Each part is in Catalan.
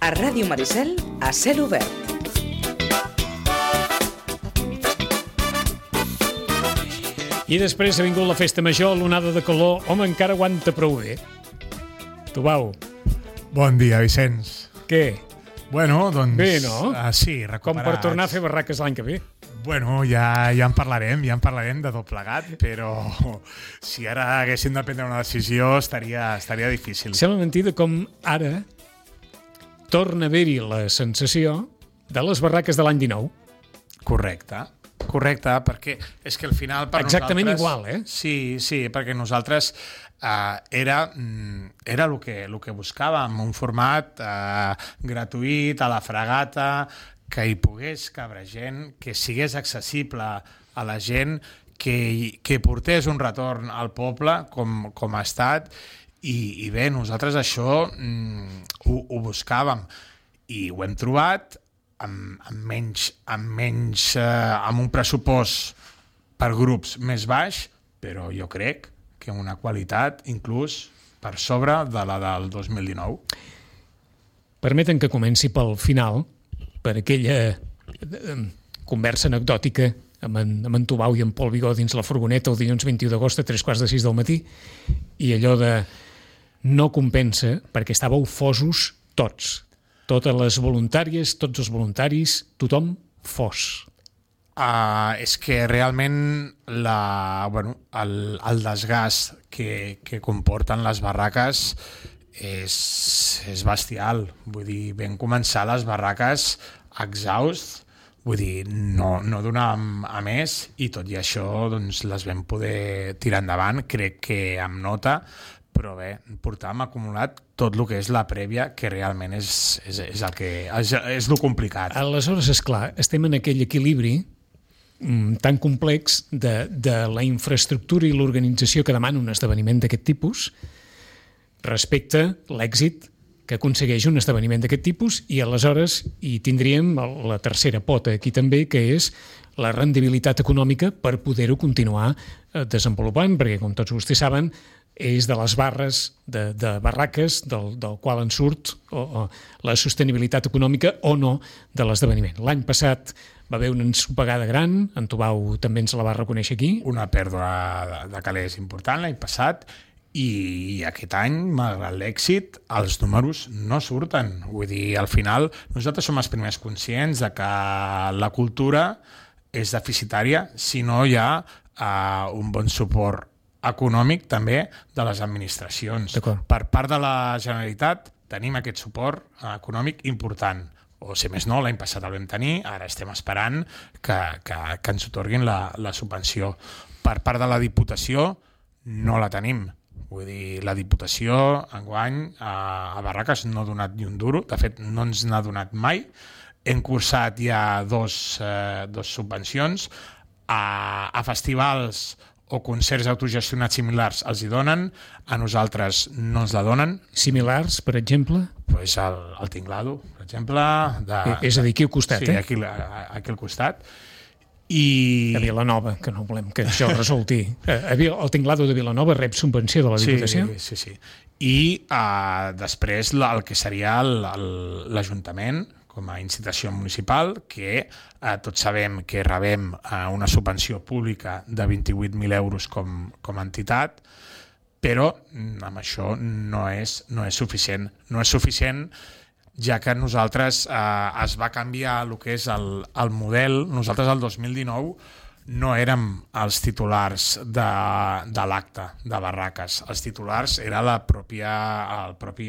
A Ràdio Maricel, a cel obert. I després ha vingut la festa major, l'onada de calor. Home, encara aguanta prou bé. Tubau. Bon dia, Vicenç. Què? Bueno, doncs... Bé, no? Sí, recuperats. Com per tornar a fer barraques l'any que ve. Bueno, ja en parlarem de tot plegat, però si ara haguéssim de prendre una decisió estaria difícil. Sembla mentida com ara torna a haver-hi la sensació de les barraques de l'any 19. Correcte, perquè és que al final per exactament nosaltres... igual, eh? Sí, perquè nosaltres era el que buscàvem, un format gratuït, a la fregata, que hi pogués cabre gent, que sigués accessible a la gent, que portés un retorn al poble com ha estat, i bé, nosaltres això ho buscàvem i ho hem trobat amb un pressupost per grups més baix, però jo crec que una qualitat inclús per sobre de la del 2019. Permeten que comenci pel final, per aquella conversa anecdòtica amb en Tubau i en Pol Vigó dins la furgoneta el dilluns 21 d'agost a 3:45 del matí, i allò de no compensa perquè estàveu fosos tots. Totes les voluntàries, tots els voluntaris, tothom fos. És que realment el desgast que comporten les barraques és bestial. Vull dir, vam començar les barraques exhaust, vull dir, no donàvem a més, i tot i això doncs, les vam poder tirar endavant, crec que amb nota, però bé, portàvem acumulat tot el que és la prèvia, que realment és el complicat. Aleshores, esclar, estem en aquell equilibri tan complex de la infraestructura i l'organització que demana un esdeveniment d'aquest tipus respecte a l'èxit que aconsegueix un esdeveniment d'aquest tipus, i aleshores hi tindríem la tercera pota aquí també, que és la rendibilitat econòmica per poder-ho continuar desenvolupant, perquè com tots vostès saben és de les barres de barraques del qual en surt la sostenibilitat econòmica o no de l'esdeveniment. L'any passat va haver una ensopegada gran, en Tubau també ens la va reconèixer aquí. Una pèrdua de calés important l'any passat, i aquest any, malgrat l'èxit, els números no surten. Vull dir, al final, nosaltres som els primers conscients de que la cultura és deficitària si no hi ha un bon suport econòmic també de les administracions. Per part de la Generalitat tenim aquest suport econòmic important, o si més no, l'any passat el vam tenir, ara estem esperant que ens otorguin la subvenció. Per part de la Diputació no la tenim. Vull dir, la Diputació enguany a barraques no ha donat ni un duro, de fet no ens n'ha donat mai. Hem cursat ja dos subvencions, a festivals o concerts autogestionats similars els hi donen, a nosaltres no ens la donen. Similars, per exemple? Pues el Tinglado, per exemple. És a dir, aquí al costat, sí, aquí al costat. A Vilanova, que no volem que això resulti. El Tinglado de Vilanova rep subvenció de la Diputació? Sí. I després el que seria l'Ajuntament, com a incitació municipal, que tots sabem que rebem una subvenció pública de 28.000 euros com a entitat, però amb això no és suficient. No és suficient, ja que nosaltres es va canviar el que és el model. Nosaltres el 2019 no érem els titulars de l'acte de barraques. Els titulars era el propi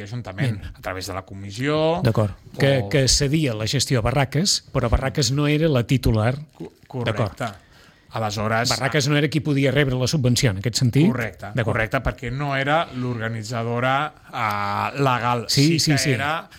Ajuntament, a través de la comissió. D'acord, que cedia la gestió a barraques, però barraques no era la titular. Correcte. Aleshores, barraques no era qui podia rebre la subvenció, en aquest sentit? Correcte, perquè no era l'organitzadora legal. Sí que era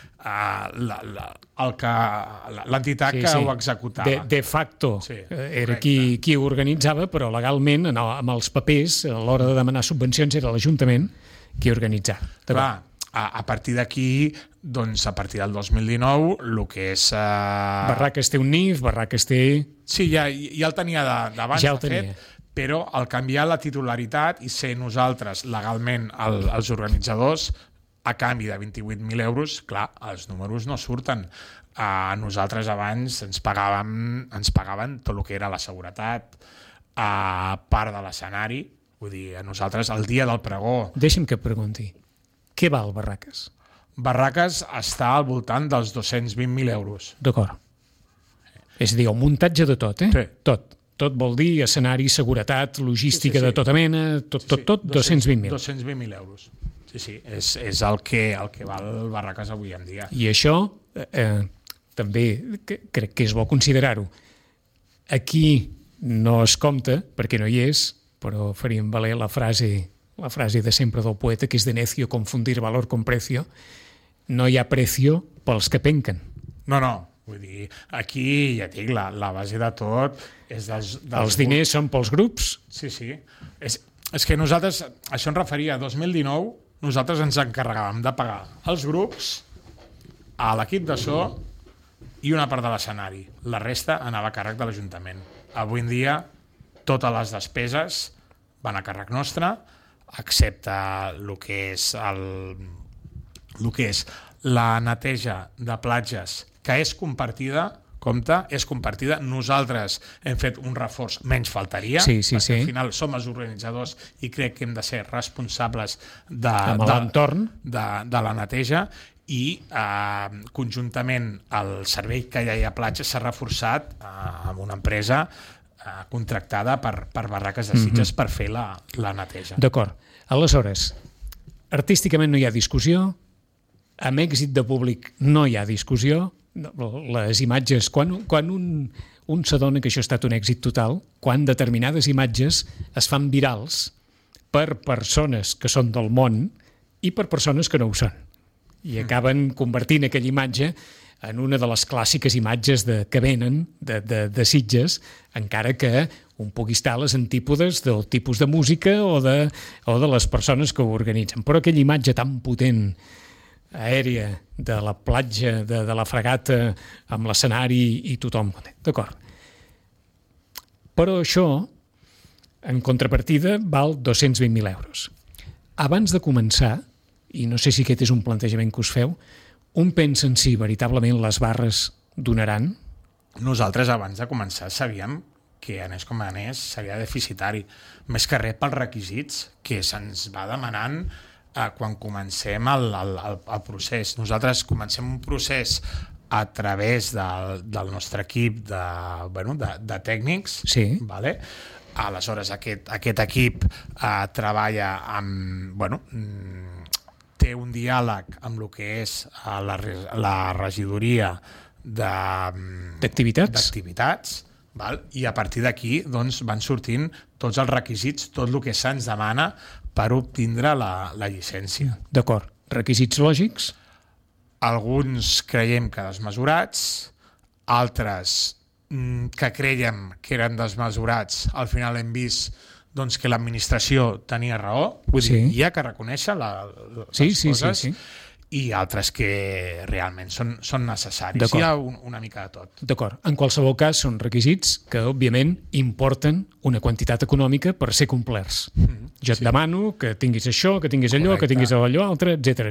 l'entitat que ho executava. De facto era qui ho organitzava, però legalment, amb els papers, a l'hora de demanar subvencions, era l'Ajuntament qui organitzava. Clar, a partir d'aquí, doncs a partir del 2019, el que és... Barraques té un NIF, Barraques té... Sí, ja el tenia d'abans, de fet, però al canviar la titularitat i ser nosaltres legalment els organitzadors, a canvi de 28.000 euros, clar, els números no surten. Nosaltres abans ens pagaven tot el que era la seguretat, part de l'escenari, vull dir, a nosaltres el dia del pregó... Deixa'm que et pregunti, què val Barraques? Barraques està al voltant dels 220.000 euros. D'acord. És a dir, el muntatge de tot, Sí. Tot. Tot vol dir escenari, seguretat, logística Sí. de tota mena, tot, 220.000. 220.000 euros. Sí, és el que val Barraques avui en dia. I això també crec que és bo considerar-ho. Aquí no es compta, perquè no hi és, però faríem valer la frase de sempre del poeta, que és de necio confundir valor con precio. No hi ha precio pels que penquen. No, vull dir, aquí, ja et dic, la base de tot és dels Els diners són pels grups. Sí. És que nosaltres, això ens referia a 2019, nosaltres ens encarregàvem de pagar els grups, a l'equip de so i una part de l'escenari. La resta anava a càrrec de l'Ajuntament. Avui en dia, totes les despeses van a càrrec nostre, excepte el que és la neteja de platges, que és compartida, és compartida. Nosaltres hem fet un reforç, menys faltaria, perquè al final som els organitzadors i crec que hem de ser responsables de l'entorn de la neteja, i conjuntament el servei que hi ha a platja s'ha reforçat amb una empresa contractada per Barraques de Sitges per fer la neteja. D'acord. Aleshores, artísticament no hi ha discussió, amb èxit de públic no hi ha discussió, les imatges, quan un s'adona que això ha estat un èxit total, quan determinades imatges es fan virals per persones que són del món i per persones que no ho són. I acaben convertint aquella imatge en una de les clàssiques imatges que venen de Sitges, encara que un pugui estar a les antípodes del tipus de música o de les persones que ho organitzen. Però aquella imatge tan potent, aèria, de la platja, de la fregata, amb l'escenari i tothom. D'acord. Però això, en contrapartida, val 220.000 euros. Abans de començar, i no sé si aquest és un plantejament que us feu, un pensa en si veritablement les barres donaran? Nosaltres, abans de començar, sabíem que anés com anés, seria deficitari. Més que res pels requisits que se'ns va demanant quan comencem el procés. Nosaltres comencem un procés a través del nostre equip de tècnics. Sí. Vale? Aleshores, aquest equip treballa amb... té un diàleg amb el que és la regidoria d'activitats, i a partir d'aquí van sortint tots els requisits, tot el que se'ns demana per obtindre la llicència. D'acord. Requisits lògics? Alguns creiem que desmesurats, altres que creiem que eren desmesurats, al final hem vist que l'administració tenia raó, vull dir, hi ha que reconèixer les coses, i altres que realment són necessaris. Hi ha una mica de tot. D'acord. En qualsevol cas, són requisits que, òbviament, importen una quantitat econòmica per ser complerts. Jo et demano que tinguis això, que tinguis allò, que tinguis allò altre, etc.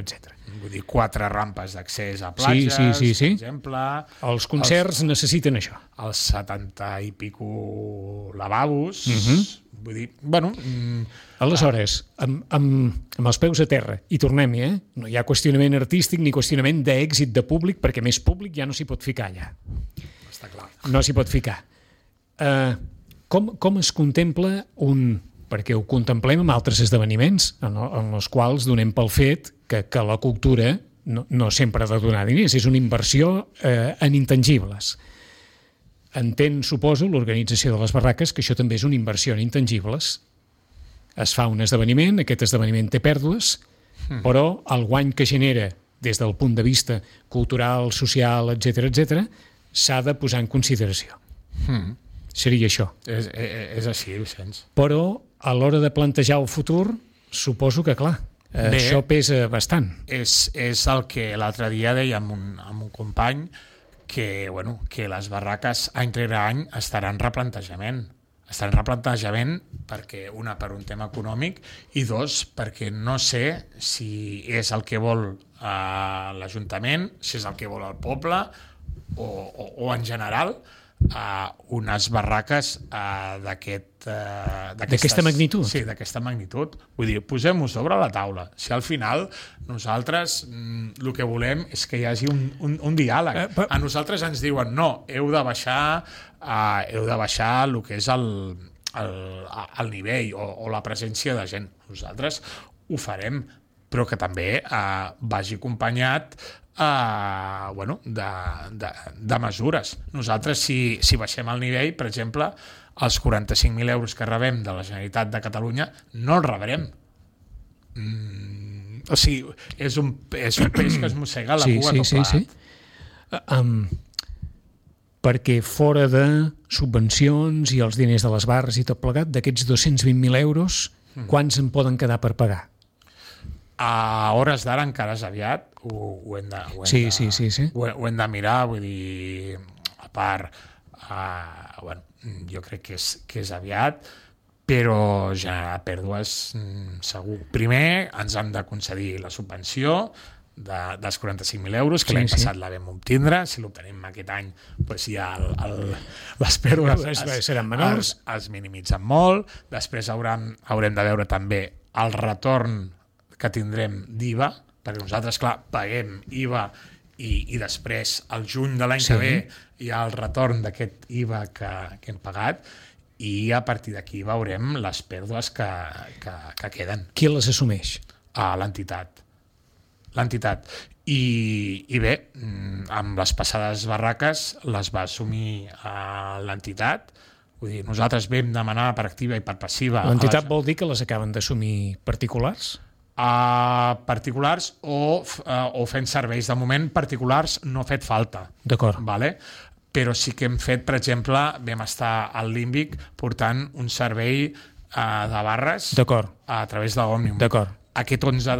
Vull dir, 4 rampes d'accés a platges, per exemple. Els concerts necessiten això. Els 70 i pico lavabos. Vull dir, aleshores, amb els peus a terra, i tornem-hi, no hi ha qüestionament artístic ni qüestionament d'èxit de públic, perquè més públic ja no s'hi pot ficar allà. Està clar. No s'hi pot ficar. Com es contempla perquè ho contemplem amb altres esdeveniments en els quals donem pel fet que la cultura no sempre ha de donar diners, és una inversió en intangibles. Entén, suposo, l'organització de les barraques, que això també és una inversió en intangibles. Es fa un esdeveniment, aquest esdeveniment té pèrdues, però el guany que genera des del punt de vista cultural, social, etc., s'ha de posar en consideració. Seria això. És així, Vicenç. Però a l'hora de plantejar el futur, suposo que, clar, això pesa bastant. És el que l'altre dia deia amb un company, que les barraques any rere any estaran en replantejament. està en replantejament perquè, una, per un tema econòmic, i dos, perquè no sé si és el que vol l'Ajuntament, si és el que vol el poble o en general unes barraques d'aquesta magnitud. Sí, d'aquesta magnitud. Vull dir, posem-ho sobre la taula. Si al final nosaltres el que volem és que hi hagi un diàleg. A nosaltres ens diuen no, heu de baixar el que és el nivell o la presència de gent. Nosaltres ho farem, però que també vagi acompanyat de mesures. Nosaltres, si baixem el nivell, per exemple, els 45.000 euros que rebem de la Generalitat de Catalunya no els rebrem. O sigui, és un peix que es mossega la cua tot plegat. Sí. Perquè fora de subvencions i els diners de les barres i tot plegat, d'aquests 220.000 euros, quants en poden quedar per pagar? A hores d'ara encara és aviat, ho hem de mirar, vull dir, a part, jo crec que és aviat, però generar pèrdues segur. Primer ens han de concedir la subvenció dels 45.000 euros, que l'any passat la vam obtindre. Si l'obtenim aquest any, doncs ja les pèrdues seran menors, es minimitzen molt. Després haurem de veure també el retorn que tindrem d'IVA, perquè nosaltres, clar, paguem IVA i després, al juny de l'any que ve, hi ha el retorn d'aquest IVA que hem pagat, i a partir d'aquí veurem les pèrdues que queden. Qui les assumeix? L'entitat. I bé, amb les passades barraques les va assumir l'entitat. Vull dir, nosaltres vam demanar per activa i per passiva... L'entitat vol dir que les acaben d'assumir particulars? Particulars o fent serveis. De moment, particulars no ha fet falta. D'acord. Vale? Però sí que hem fet, per exemple, vam estar al Límbic portant un servei de barres a través d'Òmnium. D'acord. Aquest 11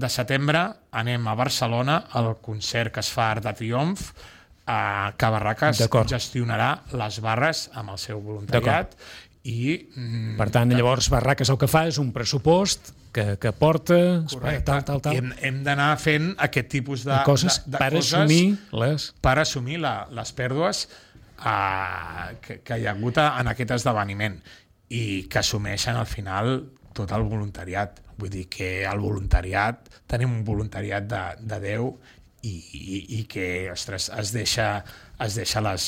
de setembre anem a Barcelona al concert que es fa a Arc de Triomf, que Barraques gestionarà les barres amb el seu voluntariat. Per tant, llavors Barraques el que fa és un pressupost que porta tal. I hem d'anar fent aquest tipus de coses per assumir les pèrdues que hi ha hagut en aquest esdeveniment i que assumeixen al final tot el voluntariat. Vull dir que el voluntariat, tenim un voluntariat de Déu i que, ostres, es deixa les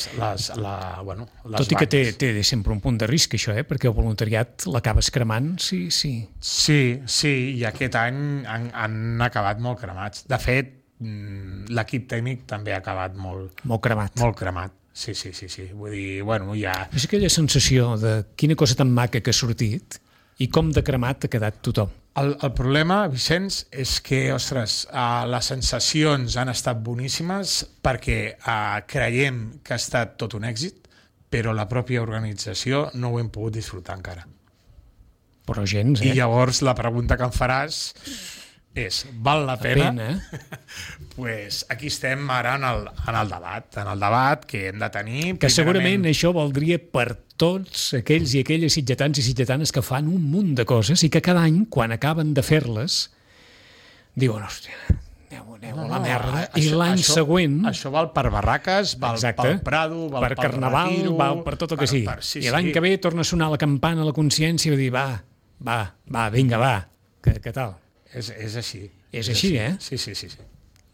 tot i que té sempre un punt de risc, això, perquè el voluntariat l'acabes cremant, sí. Sí, i aquest any han acabat molt cremats. De fet, l'equip tècnic també ha acabat molt cremat. Molt cremat, sí. Vull dir, ja... És aquella sensació de quina cosa tan maca que ha sortit i com de cremat ha quedat tothom. El problema, Vicenç, és que, ostres, les sensacions han estat boníssimes perquè creiem que ha estat tot un èxit, però la pròpia organització no ho hem pogut disfrutar encara. Però gens, I llavors la pregunta que em faràs és, val la pena? Pues aquí estem ara en el debat que hem de tenir. Que segurament això valdria per tots aquells i aquelles sitgetans i sitgetanes que fan un munt de coses i que cada any, quan acaben de fer-les, diuen, hòstia, aneu a la merda. I l'any següent... Això val per Barraques, val pel Prado, val per Carnaval, Retiro, val per tot el que sigui. I l'any que ve torna a sonar la campana a la consciència i dir, vinga, què tal? És així. És així, eh? Sí.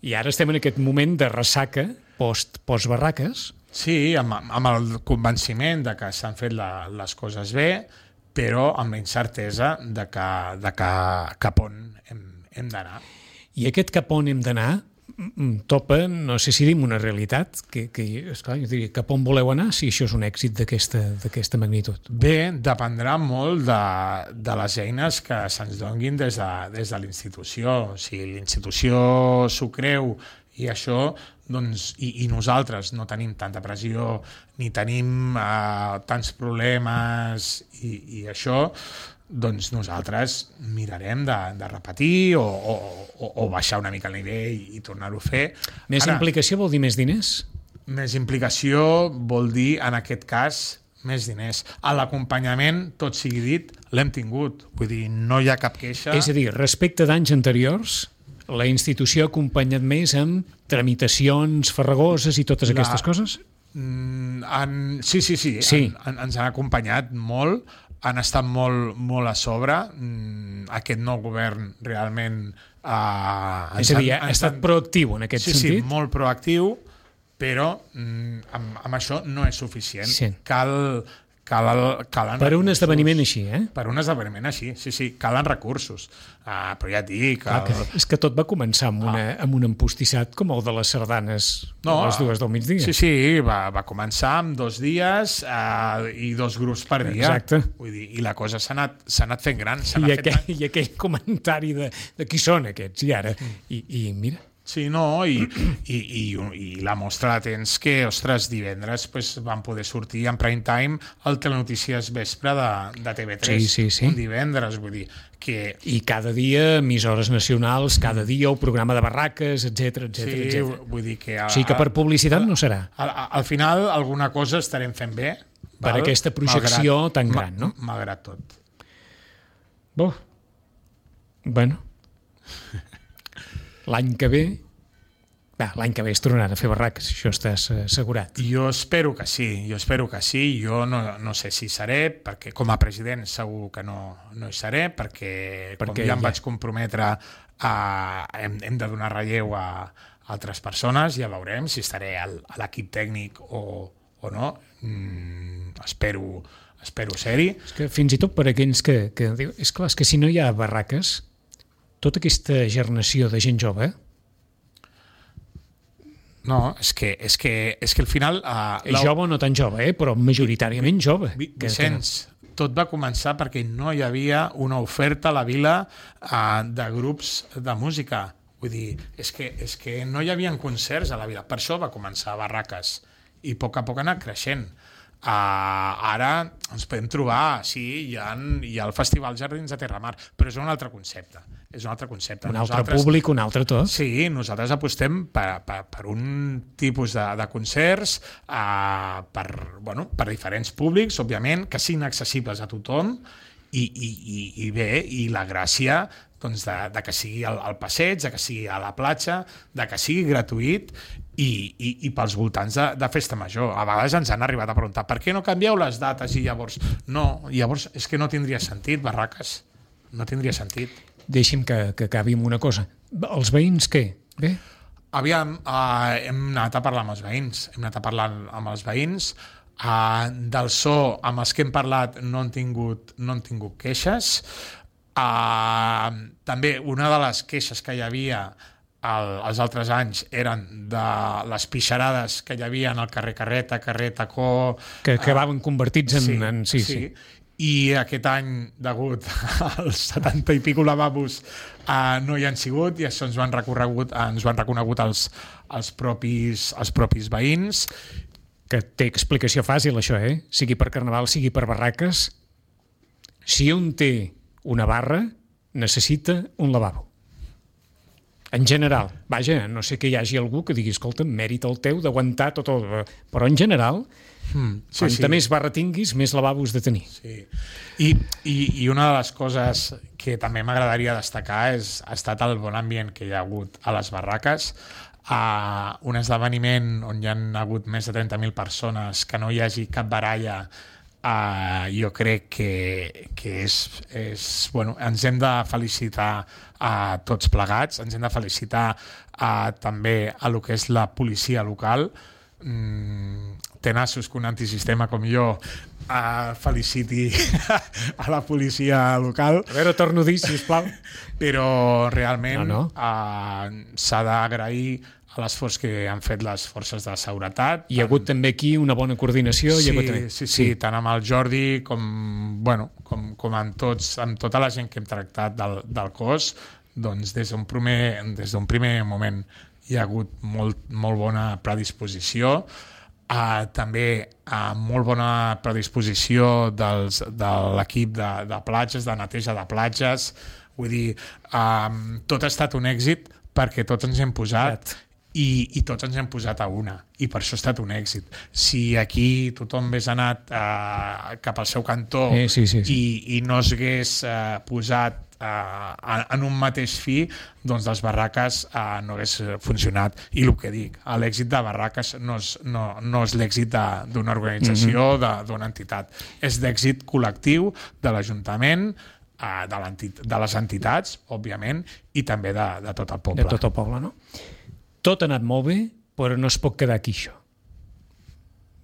I ara estem en aquest moment de ressaca post-barraques. Sí, amb el convenciment de que s'han fet les coses bé, però amb la incertesa de cap on hem d'anar. I aquest cap on hem d'anar topa, no sé si dim una realitat, que esclar, jo diria, cap on voleu anar si això és un èxit d'aquesta magnitud? Bé, dependrà molt de les eines que se'ns donguin des de l'institució. Si l'institució s'ho creu i això, doncs, i nosaltres no tenim tanta pressió ni tenim tants problemes i això, doncs nosaltres mirarem de repetir o baixar una mica el nivell i tornar-ho a fer. Més implicació vol dir més diners? Més implicació vol dir, en aquest cas, L'acompanyament, tot sigui dit, l'hem tingut. Vull dir, no hi ha cap queixa. És a dir, respecte d'anys anteriors, la institució ha acompanyat més amb tramitacions farragoses i totes aquestes coses? Sí. Ens han acompanyat molt, han estat molt a sobre. Aquest nou govern realment... és a dir, ha estat proactiu en aquest sentit? Sí, molt proactiu, però amb això no és suficient. Sí. Calen per un esdeveniment així, Per un esdeveniment així, sí, calen recursos. Però ja et dic... És que tot va començar amb un empostissat com el de les sardanes les dues del migdia. Sí, va començar amb 2 dies i 2 grups per dia. Exacte. Vull dir, i la cosa s'ha anat fent gran. I aquell comentari de qui són aquests, i ara? I mira... Sí, no, i la mostra la tens que, ostres, divendres van poder sortir en prime time al Telenotícies Vespre de TV3. Sí. Un divendres, vull dir que... I cada dia, emissores nacionals, cada dia el programa de barraques, etc. Sí, vull dir que... O sigui que per publicitat no serà. Al final, alguna cosa estarem fent bé. Per aquesta projecció tan gran, no? Malgrat tot. Bueno... L'any que ve es tornaran a fer barraques, això estàs assegurat. Jo espero que sí. Jo no sé si seré, perquè com a president segur que no hi seré, perquè com ja em vaig comprometre, hem de donar relleu a altres persones, ja veurem si estaré a l'equip tècnic o no. Espero ser-hi. És que fins i tot per aquells que diuen... És clar, és que si no hi ha barraques, tota aquesta generació de gent jove... No, és que al final... És jove o no tan jove, però majoritàriament jove. Vicenç, tot va començar perquè no hi havia una oferta a la vila de grups de música. Vull dir, és que no hi havia concerts a la vila. Per això va començar Barraques. I a poc ha anat creixent. Ara ens podem trobar, sí, hi ha el Festival Jardins de Terramar, però és un altre concepte. Un altre públic, un altre tot. Sí, nosaltres apostem per un tipus de concerts per diferents públics, òbviament, que siguin accessibles a tothom i bé, i la gràcia doncs, de que sigui al passeig, de que sigui a la platja, de que sigui gratuït i pels voltants de Festa Major. A vegades ens han arribat a preguntar per què no canvieu les dates i llavors... No, llavors és que no tindria sentit, Barraques. No tindria sentit. Deixi'm que acabi amb una cosa. Els veïns què? Bé? Aviam, hem anat a parlar amb els veïns. Del so, amb els que hem parlat, no han tingut queixes. També una de les queixes que hi havia els altres anys eren de les pixarades que hi havia en el carrer Carrer Tacó... Que acabaven convertits en... Sí. I aquest any, degut als 70 i pico lavabos, no hi han sigut, i això ens ho han reconegut els propis veïns. Que té explicació fàcil, això, sigui per Carnaval, sigui per barraques. Si un té una barra, necessita un lavabo. En general. Vaja, no sé que hi hagi algú que digui, escolta, mèrit el teu d'aguantar tot el... Però en general... Quanta més barra tinguis, més lavabos de tenir. Sí. I una de les coses que també m'agradaria destacar ha estat el bon ambient que hi ha hagut a les barraques. Un esdeveniment on hi ha hagut més de 30.000 persones, que no hi hagi cap baralla, jo crec que és bueno, ens hem de felicitar a tots plegats, ens hem de felicitar també a lo que és la policia local. Tenassos que un antisistema com jo feliciti a la policia local. A veure, torno a dir, sisplau. Però realment s'ha d'agrair a l'esforç que han fet les forces de seguretat. Hi ha hagut també aquí una bona coordinació? Sí, tant amb el Jordi com amb tota la gent que hem tractat del cos, doncs des d'un primer moment hi ha hagut molt bona predisposició. També molt bona predisposició de l'equip de platges, de neteja de platges. Vull dir, tot ha estat un èxit perquè tots ens hem posat i tots ens hem posat a una, i per això ha estat un èxit. Si aquí tothom hagués anat cap al seu cantó sí. i no s'hagués posat en un mateix fi, doncs les barraques no hagués funcionat. I el que dic, l'èxit de barraques no és l'èxit d'una organització, d'una entitat, és d'èxit col·lectiu de l'Ajuntament, de les entitats, òbviament, i també de tot el poble. De tot el poble, no? Tot ha anat molt bé, però no es pot quedar aquí, això.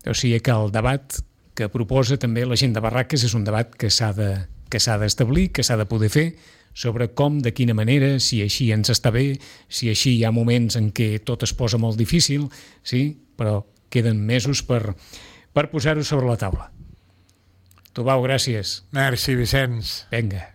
O sigui que el debat que proposa també la gent de Barraques és un debat que s'ha d'establir, que s'ha de poder fer, sobre com, de quina manera, si així ens està bé, si així hi ha moments en què tot es posa molt difícil, sí, però queden mesos per posar-ho sobre la taula. Tubau, gràcies. Merci, Vicenç. Vinga.